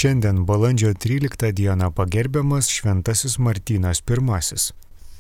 Šiandien balandžio 13 dieną pagerbiamas Šventasis Martynas I.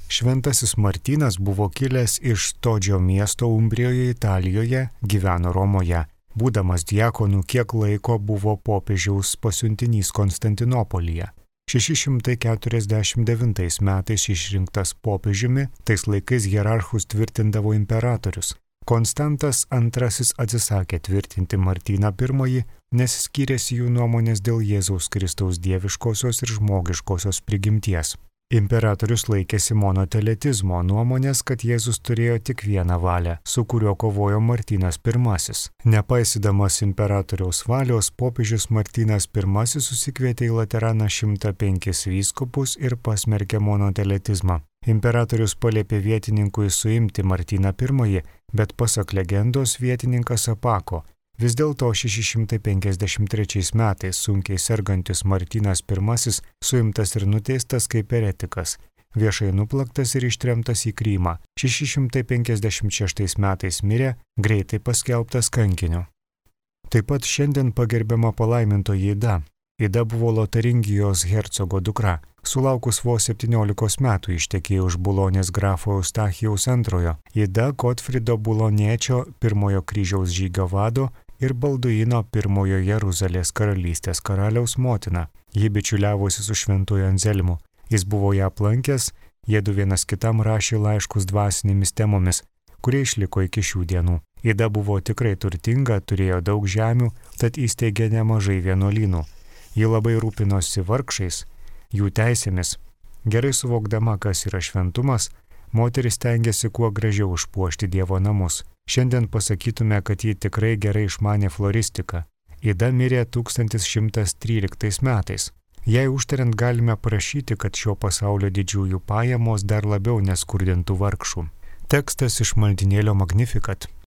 Šventasis Martynas buvo kilęs iš Todžio miesto Umbrijoje, Italijoje, gyveno Romoje. Būdamas diakonu kiek laiko buvo popiežiaus pasiuntinys Konstantinopolyje. 649 metais išrinktas popiežiumi, tais laikais hierarchus tvirtindavo imperatorius. Konstantas II atsisakė tvirtinti Martyną I, nes skyrėsi jų nuomonės dėl Jėzaus Kristaus dieviškosios ir žmogiškosios prigimties. Imperatorius laikėsi monoteletizmo nuomonės, kad Jėzus turėjo tik vieną valią, su kuriuo kovojo Martynas I. Nepaisydamas imperatoriaus valios, popiežius Martynas I susikvietė į Lateraną 105 vyskupus ir pasmerkė monoteletizmą. Imperatorius paliepė vietininkui suimti Martyną I, bet pasak legendos vietininkas apako. Vis dėlto 653 metais sunkiai sergantis Martynas I suimtas ir nuteistas kaip eretikas, viešai nuplaktas ir ištremtas į Krymą. 656 metais mirė, greitai paskelbtas kankiniu. Taip pat šiandien pagerbiama palaimintoji Ida. Ida buvo Lotaringijos hercogo dukra. Sulaukus vos 17 metų ištekėjo už Bulonės grafo Eustachijaus II. Ida Gotfrido Buloniečio pirmojo kryžiaus žygio vado ir Balduino pirmojo Jeruzalės karalystės karaliaus motina. Ji bičiuliavosi su šventuoju Anzelmu. Jis buvo ją aplankęs, jiedu vienas kitam rašė laiškus dvasinėmis temomis, kurie išliko iki šių dienų. Ida buvo tikrai turtinga, turėjo daug žemių, tad įsteigė nemažai vienuolynų. Ji labai rūpinosi vargšais, jų teisėmis. Gerai suvokdama, kas yra šventumas, moteris stengiasi kuo gražiau užpuošti Dievo namus. Šiandien pasakytume, kad ji tikrai gerai išmanė floristiką. Ida mirė 1113 metais. Jei užtariant galime prašyti, kad šio pasaulio didžiųjų pajamos dar labiau neskurdintų vargšų. Tekstas iš maldynėlio Magnificat.